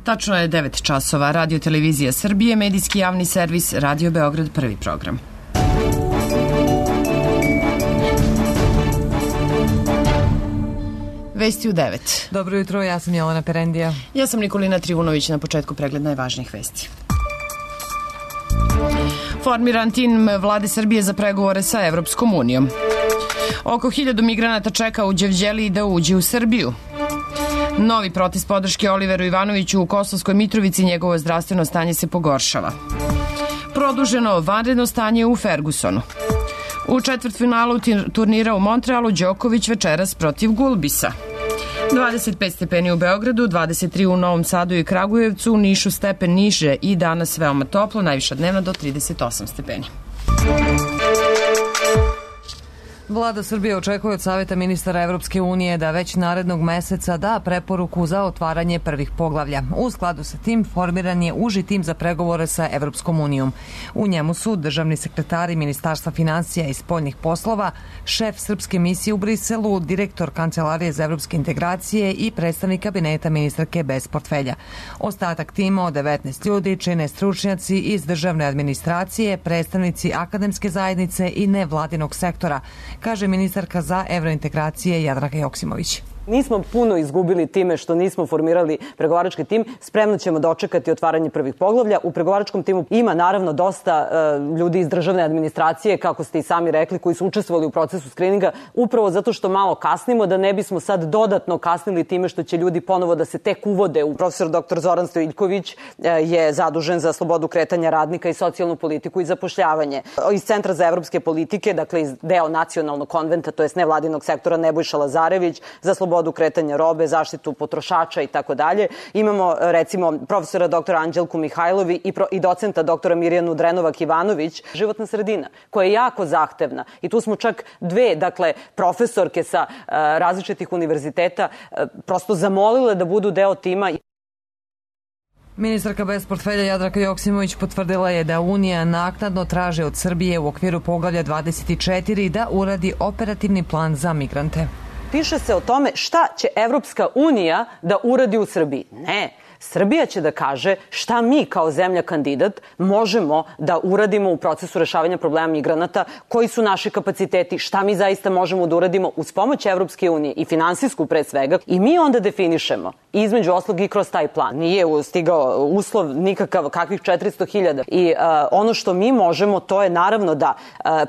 Tačno je 9 časova. Radio Televizija Srbije, medijski javni servis, Radio Beograd, prvi program. Vesti u 9. Dobro jutro, ja sam Jelena Perendija. Ja sam Nikolina Trivunović, na početku pregled najvažnijih vesti. Formiran tim vlade Srbije za pregovore sa Evropskom unijom. Oko 1000 migranata čeka u Đevđeliji da uđe u Srbiju. Novi protest podrške Oliveru Ivanoviću u Kosovskoj Mitrovici, njegovo zdravstveno stanje se pogoršava. Produženo vanredno stanje u Fergusonu. U četvrtfinalu turnira u Montrealu Đoković večeras protiv Gulbisa. 25 stepeni u Beogradu, 23 u Novom Sadu i Kragujevcu, u Nišu stepen niže i danas veoma toplo, najviša dnevna do 38 stepeni. Vlada Srbije očekuje od Saveta ministara Evropske unije da već narednog meseca da preporuku za otvaranje prvih poglavlja. U skladu sa tim formiran je uži tim za pregovore sa Evropskom unijom. U njemu su državni sekretari Ministarstva finansija i spoljnih poslova, šef srpske misije u Briselu, direktor Kancelarije za evropske integracije i predstavnik kabineta ministarke bez portfelja. Ostatak tima od 19 ljudi čine stručnjaci iz državne administracije, predstavnici akademske zajednice i nevladinog sektora, kaže ministarka za evrointegracije Jadranka Joksimović. Nismo puno izgubili time što nismo formirali pregovarački tim. Spremno ćemo dočekati otvaranje prvih poglavlja. U pregovaračkom timu ima naravno dosta ljudi iz državne administracije, kako ste i sami rekli, koji su učestvovali u procesu skrininga, upravo zato što malo kasnimo, da ne bismo sad dodatno kasnili time što će ljudi ponovo da se tek uvode. Profesor dr. Zoran Stojiljković je zadužen za slobodu kretanja radnika i socijalnu politiku i zapošljavanje. Iz Centra za evropske politike, dakle iz deo nacionalnog konventa, to jest nevladinog sektora, Nebojša Lazarević, za slobodu kretanja robe, zaštitu potrošača i tako dalje. Imamo recimo profesora doktora Anđelku Mihajlovi i docenta doktora Mirjanu Drenovac-Ivanović. Životna sredina koja je jako zahtevna i tu smo čak dve, dakle, profesorke sa različitih univerziteta prosto zamolile da budu deo tima. Ministarka bez portfelja Jadranka Joksimović potvrdila je da Unija naknadno traži od Srbije u okviru poglavlja 24 da uradi operativni plan za migrante. Piše se o tome šta će Evropska unija da uradi u Srbiji. Ne, Srbija će da kaže šta mi kao zemlja kandidat možemo da uradimo u procesu rešavanja problema migranata, koji su naši kapaciteti, šta mi zaista možemo da uradimo uz pomoć Evropske unije i finansijsku pre svega. I mi onda definišemo, između oslog i kroz taj plan. Nije stigao uslov nikakav, kakvih 400.000. I ono što mi možemo, to je naravno da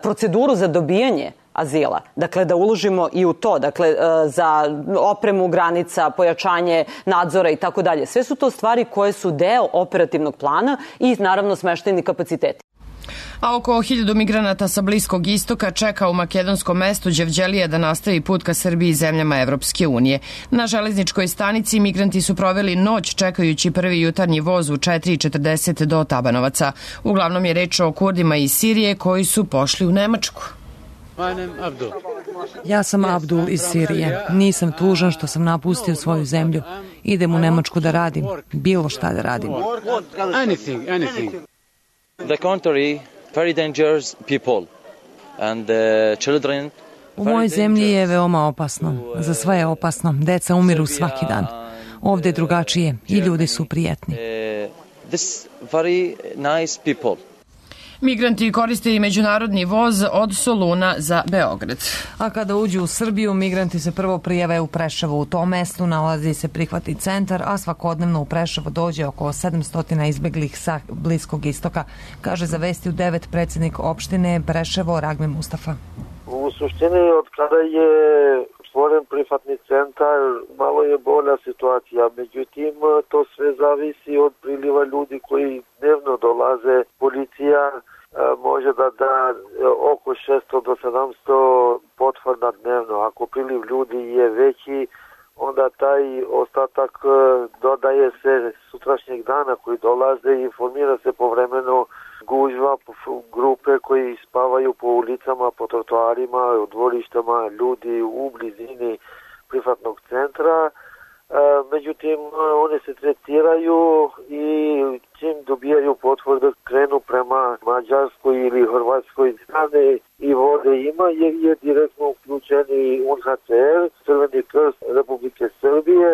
proceduru za dobijanje azila. Dakle, da uložimo i u to, dakle, za opremu granica, pojačanje nadzora i tako dalje. Sve su to stvari koje su deo operativnog plana i naravno smeštajni kapaciteti. A oko 1000 migranata sa Bliskog istoka čeka u makedonskom mestu Đevđelije da nastavi put ka Srbiji i zemljama Evropske unije. Na železničkoj stanici migranti su proveli noć čekajući prvi jutarnji voz u 4:40 do Tabanovaca. Uglavnom je reč o Kurdima iz Sirije koji su pošli u Nemačku. Ja sam Abdul iz Sirije. Nisam tužan što sam napustio svoju zemlju. Idem u Nemačku da radim. Bilo šta da radim. The country, very dangerous people and children. U mojoj zemlji je veoma opasno. Za sve je opasno. Deca umiru svaki dan. Ovde je drugačije i ljudi su prijetni. This very nice people. Migranti koriste i međunarodni voz od Soluna za Beograd. A kada uđu u Srbiju, migranti se prvo prijave u Preševu. U tom mestu nalazi se prihvatni centar, a svakodnevno u Preševo dođe oko 700 izbeglih sa Bliskog istoka, kaže za Vesti u 9 predsjednik opštine Preševo Ragme Mustafa. U suštini, od kada je stvoren prihvatni centar, malo je bolja situacija. Međutim, to sve zavisi od priliva ljudi koji dnevno dolaze. Policija može da oko 600 do 700 potvrda dnevno. Ako priliv ljudi je veći, onda taj ostatak dodaje se sutrašnjeg dana koji dolaze i formira se povremeno gužva, grupe koji spavaju po ulicama, po trotoarima, u dvorištama, ljudi u blizini prihvatnog centra. Međutim, one se tretiraju i čim dobijaju potvrdu krenu prema Mađarskoj ili Hrvatskoj strane i vode ima, jer je direktno uključeni UNHCR, Crveni krst Republike Srbije.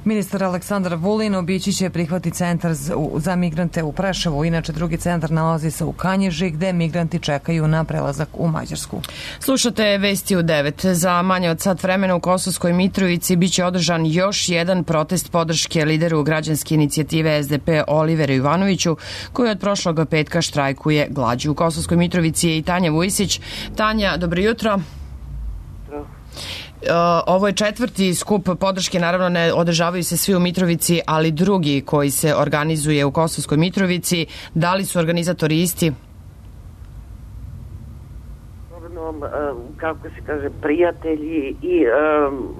Ministar Aleksandar Vulin obići će prihvatni centar za migrante u Preševu. Inače, drugi centar nalazi se u Kanjiži, gde migranti čekaju na prelazak u Mađarsku. Slušate Vesti u 9. Za manje od sat vremena u Kosovskoj Mitrovici biće održan još jedan protest podrške lideru građanske inicijative SDP Oliveru Ivanoviću, koji od prošlog petka štrajkuje glađu. U Kosovskoj Mitrovici je i Tanja Vujsić. Tanja, dobro jutro. Ovo je četvrti skup podrške, naravno ne održavaju se svi u Mitrovici, ali drugi koji se organizuje u Kosovskoj Mitrovici. Da li su organizatori isti? Kako se kaže, prijatelji i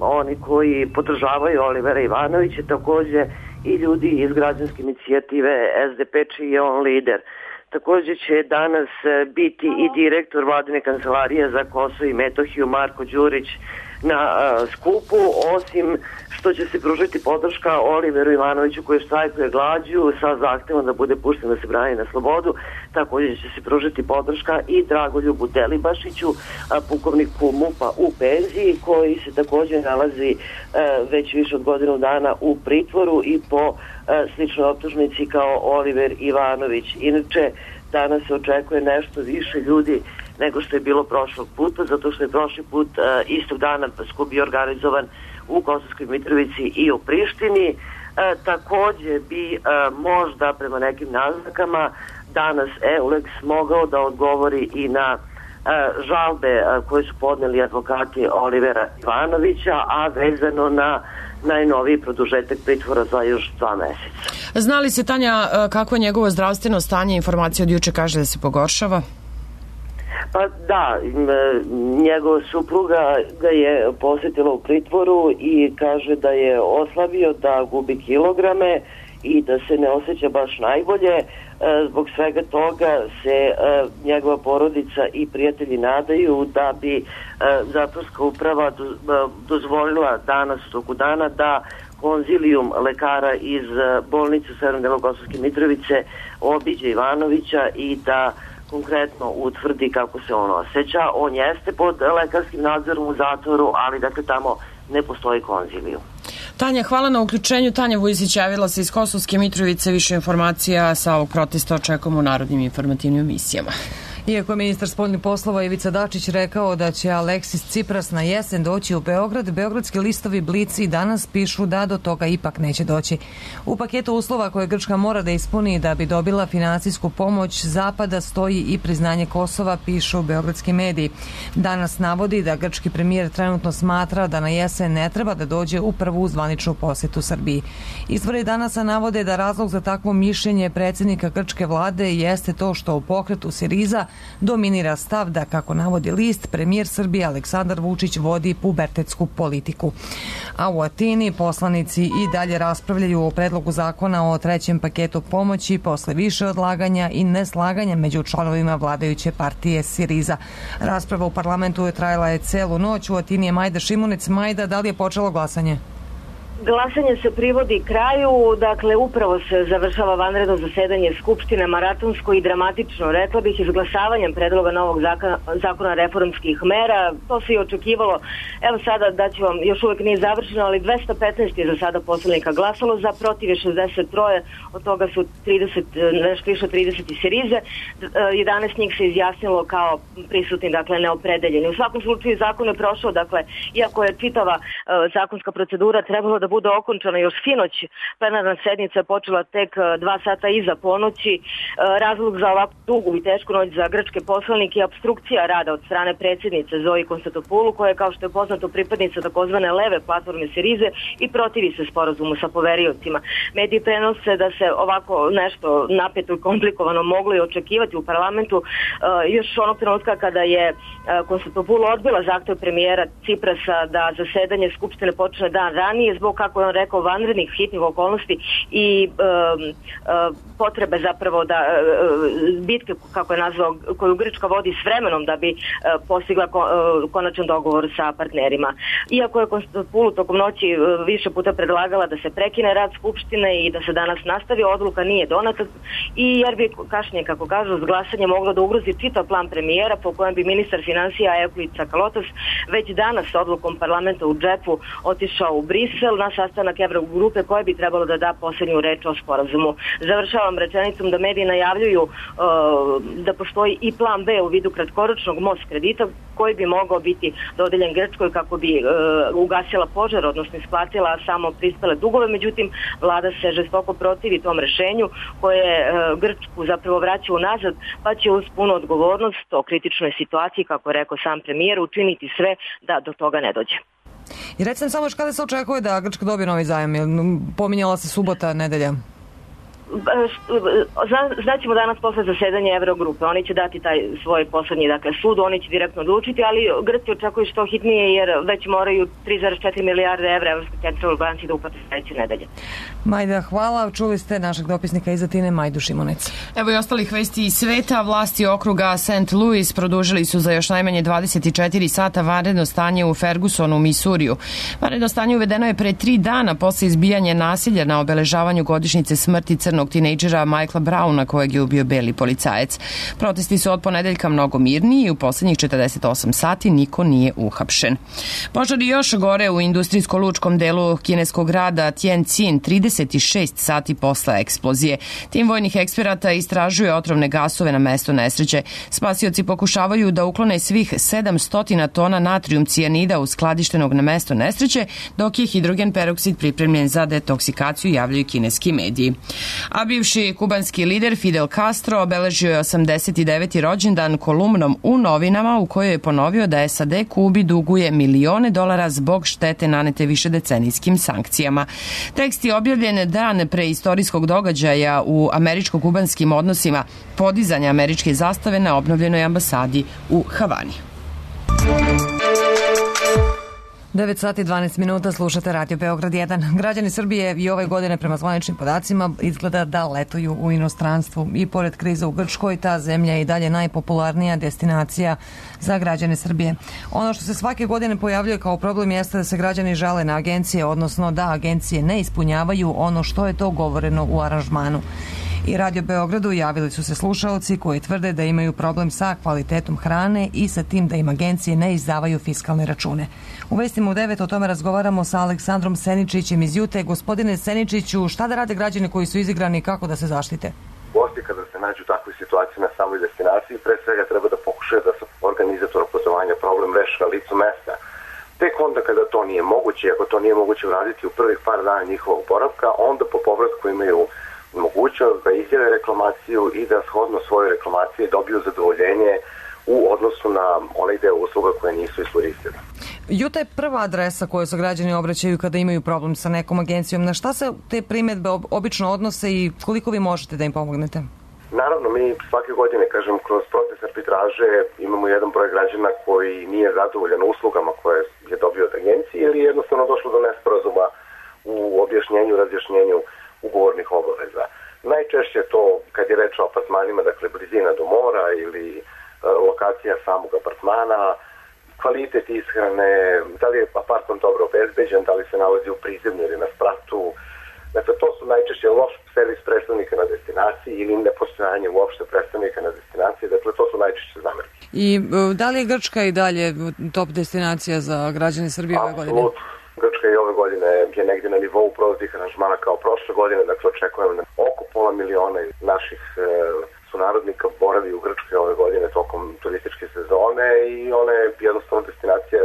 oni koji podržavaju Olivera Ivanovića, takođe i ljudi iz građanske inicijative SDP, čiji je on lider. Takođe će danas biti i direktor Vladine kancelarije za Kosovo i Metohiju Marko Đurić na skupu, osim što će se pružiti podrška Oliveru Ivanoviću koji štrajkuje glađu sa zahtevom da bude pušten da se brani na slobodu. Takođe će se pružiti podrška i Dragoljubu Delibašiću, pukovniku MUP-a u penziji, koji se takođe nalazi već više od godinu dana u pritvoru i po sličnoj optužnici kao Oliver Ivanović. Inače, danas se očekuje nešto više ljudi nego što je bilo prošlog puta, zato što je prošli put istog dana skup bio organizovan u Kosovskoj Mitrovici i u Prištini. Takođe bi možda prema nekim naznakama danas EULEX mogao da odgovori i na žalbe koje su podneli advokati Olivera Ivanovića, a vezano na najnoviji produžetak pritvora za još 2 meseca. Zna li se, Tanja, kako je njegovo zdravstveno stanje? Informacija od juče kaže da se pogoršava. Pa da, njegova supruga ga je posjetila u pritvoru i kaže da je oslabio, da gubi kilograme i da se ne osjeća baš najbolje. Zbog svega toga se njegova porodica i prijatelji nadaju da bi zatvorska uprava dozvolila danas u toku dana da konzilijum lekara iz bolnice u Severnom delu Kosovske Mitrovice obiđe Ivanovića i da konkretno utvrdi kako se on osjeća. On jeste pod lekarskim nadzorom u zatvoru, ali dakle tamo ne postoji konziliju. Tanja, hvala na uključenju. Tanja Vujsić javila se iz Kosovske Mitrovice. Više informacija sa ovog protesta očekujemo u narodnim informativnim emisijama. Iako je ministar spoljnih poslova Ivica Dačić rekao da će Aleksis Cipras na jesen doći u Beograd, beogradski listovi Blic i danas pišu da do toga ipak neće doći. U paketu uslova koje Grčka mora da ispuni da bi dobila finansijsku pomoć Zapada stoji i priznanje Kosova, pišu beogradski mediji. Danas navodi da grčki premijer trenutno smatra da na jesen ne treba da dođe u prvu zvaničnu posetu Srbiji. Izvori danas navode da razlog za takvo mišljenje predsjednika grčke vlade jeste to što u pokretu Siriza dominira stav da, kako navodi list, premijer Srbije Aleksandar Vučić vodi pubertetsku politiku. A u Atini poslanici i dalje raspravljaju o predlogu zakona o trećem paketu pomoći posle više odlaganja i neslaganja među članovima vladajuće partije Siriza. Rasprava u parlamentu je trajala celu noć. U Atini je Majda Šimunic. Majda, da li je počelo glasanje? Glasanje se privodi kraju, dakle upravo se završava vanredno zasedanje Skupštine, maratonsko i dramatično, rekla bih, izglasavanjem predloga novog zakona reformskih mera. To se i očekivalo. Evo sada daću vam, još uvek nije završeno, ali 215 je za sada poslanika glasalo, za protiv je 63, od toga su 30 Sirize, 11 njih se izjasnilo kao prisutni, dakle neopredeljeni. U svakom slučaju zakon je prošao, dakle, iako je čitava zakonska procedura trebalo da bude okončana još sinoć, plenarna sednica je počela tek 2 sata iza ponoći. Razlog za ovakvu dugu i tešku noć za grčke poslanike je opstrukcija rada od strane predsjednice Zoji Konstantopulu, koja je, kao što je poznato, pripadnica takozvane leve platforme Sirize i protivi se sporazumu sa poveriocima. Mediji prenose da se ovako nešto napeto i komplikovano moglo i očekivati u parlamentu još onog trenutka kada je Konstantopulu odbila zahtev premijera Ciprasa da zasedanje Skupštine počne dan ranije zbog, kako je on rekao, vanrednih hitnih okolnosti i potrebe zapravo da bitke, kako je nazvao, koju Grčka vodi s vremenom da bi postigla konačan dogovor sa partnerima. Iako je Konstantopulu tokom noći više puta predlagala da se prekine rad Skupštine i da se danas nastavi, odluka nije donata i jer bi kašnje, kako kažu, s glasanje moglo da ugrozi čitav plan premijera po kojem bi ministar finansija Euklid Sakalotos već danas odlukom parlamenta u džepu otišao u Brisel. na sastanak Evrogrupe koja bi trebalo da da poslednju reč o sporazumu. Završavam rečenicom da mediji najavljuju da postoji i plan B u vidu kratkoročnog most kredita koji bi mogao biti dodeljen Grčkoj kako bi ugasila požar, odnosno isplatila samo prispele dugove. Međutim, vlada se žestoko protivi tom rešenju koje Grčku zapravo vraća unazad, pa će uz punu odgovornost o kritičnoj situaciji, kako je rekao sam premijer, učiniti sve da do toga ne dođe. I recimo samo još kada se očekuje da Grčka dobije novi zajam? Pominjala se subota, nedelja. Znaćemo danas posle zasedanja Evrogrupe. Oni će dati taj svoj poslednji sud, oni će direktno odlučiti, ali Grci očekuju što hitnije jer već moraju 3,4 milijarde evra Evropske centralne banke da uplate sledeće nedelje. Majda, hvala. Čuli ste našeg dopisnika iz Atine, Majdu Šimunec. Evo i ostalih vesti iz sveta. Vlasti okruga St. Louis produžili su za još najmanje 24 sata vanredno stanje u Fergusonu, Misuriju. Vanredno stanje uvedeno je pre 3 dana posle izbijanja nasilja na obeležavanju godišnjice smrti crnog tinejdžera Michaela Browna kojeg je ubio beli policajac. Protesti su od ponedeljka mnogo mirniji i u poslednjih 48 sati niko nije uhapšen. Požari još gore u industrijsko-lučkom delu kineskog grada Tianjin 36 sati posle eksplozije. Tim vojnih eksperata istražuje otrovne gasove na mesto nesreće. Spasioci pokušavaju da uklone svih 700 tona natrijum cijanida uskladištenog na mesto nesreće, dok je hidrogen peroksid pripremljen za detoksikaciju, javljaju kineski mediji. A bivši kubanski lider Fidel Castro obeležio je 89. rođendan kolumnom u novinama u kojoj je ponovio da SAD Kubi duguje milione dolara zbog štete nanete višedecenijskim sankcijama. Tekst je objavljen dan pre istorijskog događaja u američko-kubanskim odnosima, podizanja američke zastave na obnovljenoj ambasadi u Havani. 9 sati 12 minuta, slušate Radio Beograd 1. Građani Srbije i ove godine prema zvaničnim podacima izgleda da letuju u inostranstvu. I pored krize u Grčkoj, ta zemlja je i dalje najpopularnija destinacija za građane Srbije. Ono što se svake godine pojavljuje kao problem jeste da se građani žale na agencije, odnosno da agencije ne ispunjavaju ono što je to govoreno u aranžmanu. I Radio Beogradu javili su se slušaoci koji tvrde da imaju problem sa kvalitetom hrane i sa tim da im agencije ne izdavaju fiskalne račune. U vestima u 9 o tome razgovaramo sa Aleksandrom Seničićem iz Jute. Gospodine Seničiću, šta da rade građani koji su izigrani i kako da se zaštite? Gosti kada se nađu u takvoj situaciji na samoj destinaciji, pre svega treba da pokušaju da se organizatora putovanja problem reši na licu mesta. Tek onda kada to nije moguće, ako to nije moguće uraditi u prvih par dana njihovog boravka, onda po povratku imaju mogućnost da izjave reklamaciju i da shodno svoje reklamacije dobiju zadovoljenje u odnosu na onaj deo usluga koje nisu iskoristili. Juta je prva adresa koju se građani obraćaju kada imaju problem sa nekom agencijom. Na šta se te primjedbe obično odnose i koliko vi možete da im pomognete? Naravno, mi svake godine, kroz proces arbitraže imamo jedan broj građana koji nije zadovoljan uslugama koje je dobio od agencije ili jednostavno došlo do nesporazuma u objašnjenju, razjašnjenju ugovornih obaveza. Najčešće to kad je reč o apartmanima, dakle blizina do mora ili lokacija samog apartmana, kvalitet ishrane, da li je apartman dobro obezbeđen, da li se nalazi u prizemlju ili na spratu. Dakle, to su najčešće loš servis predstavnika na destinaciji ili nepostojanje uopšte predstavnika na destinaciji. Dakle, to su najčešće zamerke. I da li je Grčka i dalje top destinacija za građane Srbije ove godine? Apsolutno. Grčka i ove godine je negdje na nivou prolaznih aranžmana kao prošle godine, dakle očekujem oko 500.000 naših sunarodnika boravi u Grčkoj ove godine tokom turističke sezone i ona je jednostavno destinacija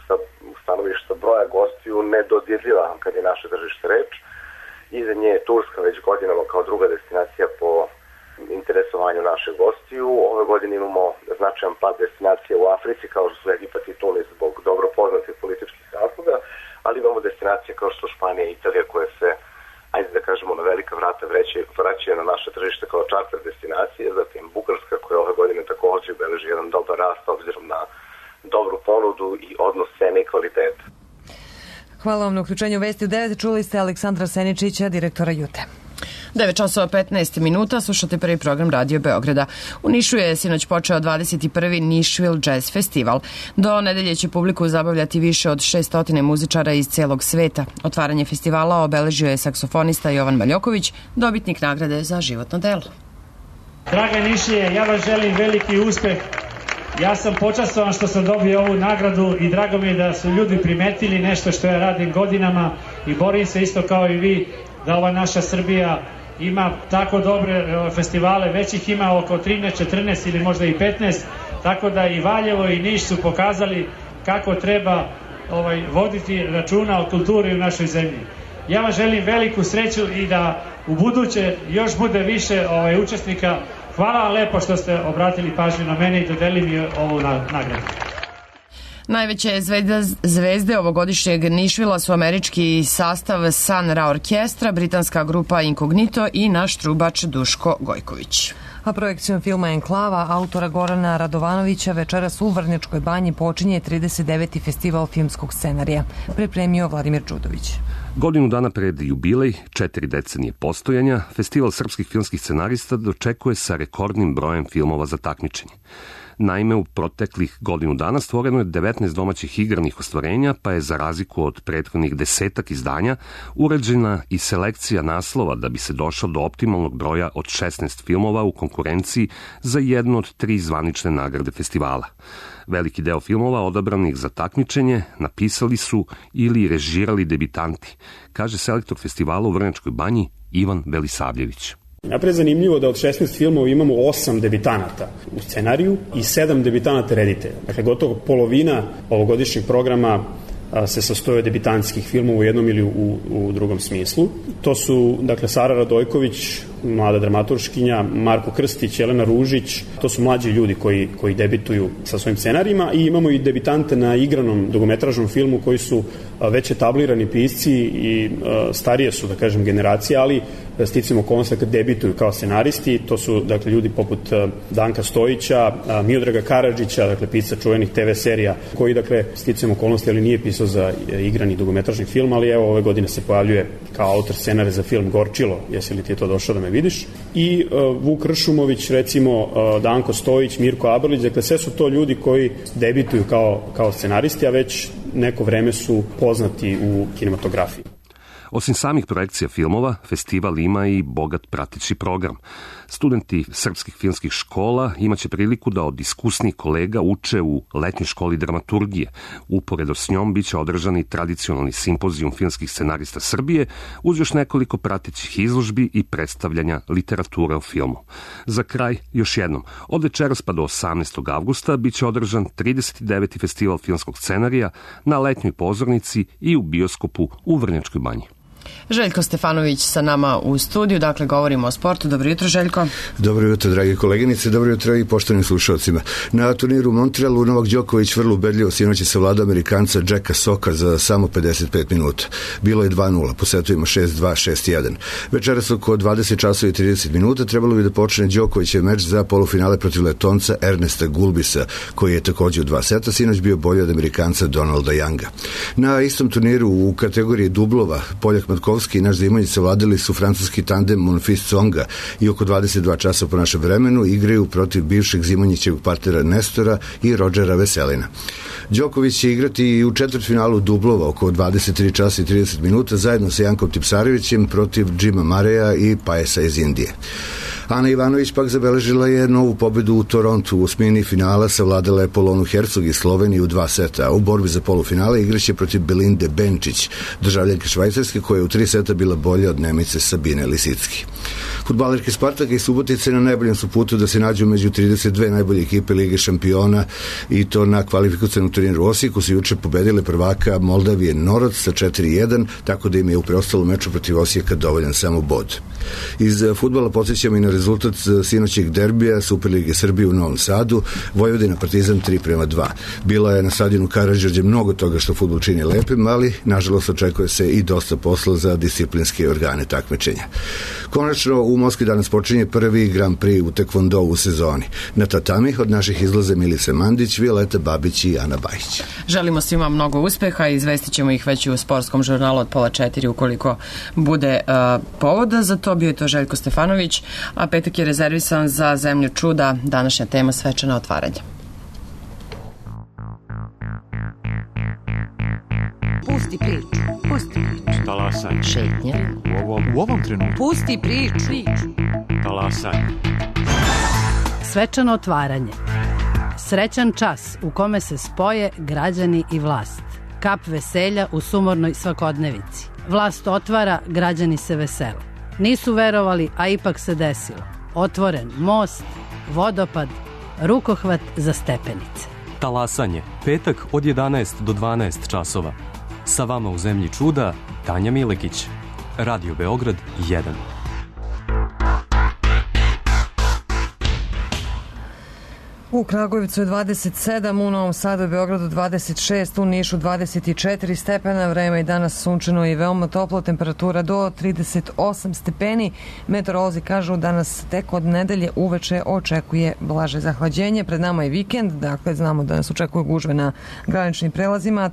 sa stanovišta broja gostiju nedodirljiva kad je naše tržište reč. Iza nje je Turska već godinama kao druga destinacija po interesovanju naših gostiju. Ove godine imamo značajan pad destinacija u Africi kao što su Egipat i Tunis zbog dobro poznatih političkih razloga, ali imamo destinacije kao što su Španija i Italija koje se, ajde da kažemo, na velika vrata vraćaju na naše tržište kao čarter destinacije, zatim Bugarska koja ove godine također beleži jedan dobar rast obzirom na dobru ponudu i odnos cene i kvaliteta. Hvala vam na uključenju vesti u 9. Čuli ste Aleksandra Seničića, direktora Jute. 9 časova 15 minuta, slušate prvi program Radio Beograda. U Nišu je sinoć počeo 21. Nišville Jazz Festival. Do nedelje će publiku zabavljati više od 600 muzičara iz celog sveta. Otvaranje festivala obeležio je saksofonista Jovan Maljoković, dobitnik nagrade za životno delo. Draga Nišlije, ja vam želim veliki uspeh Ja sam počastovan što sam dobio ovu nagradu i drago mi je da su ljudi primetili nešto što ja radim godinama i borim se isto kao i vi da ova naša Srbija ima tako dobre festivale, već ih ima oko 13, 14 ili možda i 15, tako da i Valjevo i Niš su pokazali kako treba voditi računa o kulturi u našoj zemlji. Ja vam želim veliku sreću i da u buduće još bude više učesnika. Hvala vam lepo što ste obratili pažnju na mene i dodelili mi ovu nagradu. Najveće zvezde ovogodišnjeg Nišvila su američki sastav Sun Ra orkestra, britanska grupa Incognito i naš trubač Duško Gojković. A projekcijom filma Enklava autora Gorana Radovanovića večeras u Vrnjačkoj banji počinje 39. festival filmskog scenarija. Pripremio Vladimir Đudović. Godinu dana pred jubilej, 4 decenije postojanja, Festival srpskih filmskih scenarista dočekuje sa rekordnim brojem filmova za takmičenje. Naime, u proteklih godinu dana stvoreno je 19 domaćih igranih ostvarenja, pa je za razliku od prethodnih 10 izdanja uređena i selekcija naslova da bi se došlo do optimalnog broja od 16 filmova u konkurenciji za jednu od 3 zvanične nagrade festivala. Veliki deo filmova odabranih za takmičenje napisali su ili režirali debitanti, kaže selektor festivala u Vrnjačkoj banji Ivan Belisavljević. Napred zanimljivo da od 16 filmova imamo 8 debitanata u scenariju i 7 debitanata reditelja. Dakle, gotovo polovina ovogodišnjeg programa se sastoje od debitanskih filmova u jednom ili u drugom smislu. To su, dakle, Sara Radojković, mlada dramaturškinja, Marko Krstić, Jelena Ružić, to su mlađi ljudi koji debituju sa svojim scenarijima i imamo i debitante na igranom dugometražnom filmu koji su već etablirani pisci i starije su, da kažem, generacije, ali sticam okolnosti kad debituju kao scenaristi. To su, dakle, ljudi poput Danka Stojića, Miodraga Karadžića, dakle, pisca čuvenih TV serija, koji, dakle, sticam okolnosti, ali nije pisao za igrani dugometražni film, ali evo ove godine se pojavljuje kao autor scenarija za film Gorčilo, jesi li ti je to došao da me vidiš, i Vuk Ršumović, recimo, Danko Stojić, Mirko Abrlić, dakle, sve su to ljudi koji debituju kao scenaristi, a već neko vreme su poznati u kinematografiji. Osim samih projekcija filmova, festival ima i bogat prateći program. Studenti srpskih filmskih škola imaće priliku da od iskusnih kolega uče u letnjoj školi dramaturgije. Uporedo s njom biće održan i tradicionalni simpozijum filmskih scenarista Srbije, uz još nekoliko pratećih izložbi i predstavljanja literature o filmu. Za kraj, još jednom, od večeras pa do 18. avgusta biće održan 39. festival filmskog scenarija na letnjoj pozornici i u bioskopu u Vrnjačkoj banji. Željko Stefanović sa nama u studiju, dakle govorimo o sportu. Dobro jutro, Željko. Dobro jutro, dragi koleginice, dobro jutro i poštovanim slušalcima. Na turniru u Montrealu Novak Đoković vrlo ubedljivo sinoć je savladao Amerikanca Jacka Soka za samo 55 minuta. Bilo je 2-0, po setovima 6-2, 6-1. Večeras oko 20 časova i 30 minuta trebalo bi da počne Đokovićev meč za polufinale protiv Letonca Ernesta Gulbisa, koji je takođe u 2 seta sinoć bio bolji od Amerikanca Donalda Younga. Na istom turniru u kategoriji dublova Poljak Matkovski i naš Zimonjić savladali su francuski tandem Monfils Tsonga i oko 22 časa po našem vremenu igraju protiv bivšeg Zimonjićevog partnera Nestora i Rodžera Veselina. Đoković će igrati i u četvrtfinalu dublova oko 23 časa i 30 minuta zajedno sa Jankom Tipsarevićem protiv Jima Mareja i Pajesa iz Indije. Ana Ivanović pak zabeležila je novu pobedu u Torontu. U osmini finala savladala je Polonu Hercog iz Slovenije u 2 seta, a u borbi za polufinale igraće protiv Belinde Benčić, državljanke Švajcarske, koja je u 3 seta bila bolja od Nemice Sabine Lisicki. Fudbalerke Spartaka i Subotice na najboljem su putu da se nađu među 32 najbolje ekipe Lige šampiona i to na kvalifikacionom turniru u Osijeku su juče pobedile prvaka Moldavije Norod sa 4-1, tako da im je u preostalom meču protiv Osijeka dovoljan samo bod. Iz fudbala podsjećamo i na rezultat sinoćeg derbija Superlige Srbije u Novom Sadu, Vojvodina Partizan 3-2. Bila je na stadionu Karađorđe mnogo toga što fudbal čini lepim, ali nažalost očekuje se i dosta posla za disciplinske organe takmičenja. Konačno u Moskvi danas počinje prvi Grand Prix u tekvondou u sezoni. Na tatami od naših izlaze Milica Mandić, Violeta Babić i Ana Bajić. Želimo svima mnogo uspeha i izvestit ćemo ih već u sportskom žurnalu od 3:30 ukoliko bude povoda. Za to bio je to Željko Stefanović, a petak je rezervisan za Zemlju čuda, današnja tema svečano otvaranje. Pusti priču. Talasaj. Šetnja. U ovom trenutku. Pusti priču. Talasaj. Svečano otvaranje. Srećan čas u kome se spoje građani i vlast. Kap veselja u sumornoj svakodnevici. Vlast otvara, građani se vesele. Nisu verovali, a ipak se desilo. Otvoren most, vodopad, rukohvat za stepenice. Talasanje, petak od 11 do 12 časova. Sa vama u zemlji čuda, Tanja Milekić. Radio Beograd 1. U Kragujevcu je 27, u Novom Sadu i Beogradu 26, u Nišu 24 stepena, vreme je danas sunčano i veoma toplo, temperatura do 38 stepeni. Meteorolozi kažu da nas tek od nedelje uveče očekuje blaže zahlađenje. Pred nama je vikend, dakle znamo da nas očekuju gužve na graničnim prelazima, a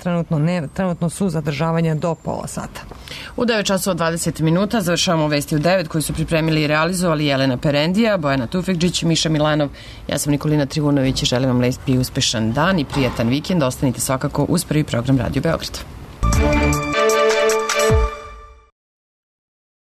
trenutno su zadržavanja do pola sata. U 9 časova 20 minuta završavamo vesti u 9 koji su pripremili i realizovali Jelena Perendija, Bojana Tufekđić, Miša Milanov, ja sam Nikolina Trivunović i želim vam lep i uspešan dan i prijatan vikend. Ostanite svakako uz prvi program Radio Beograd.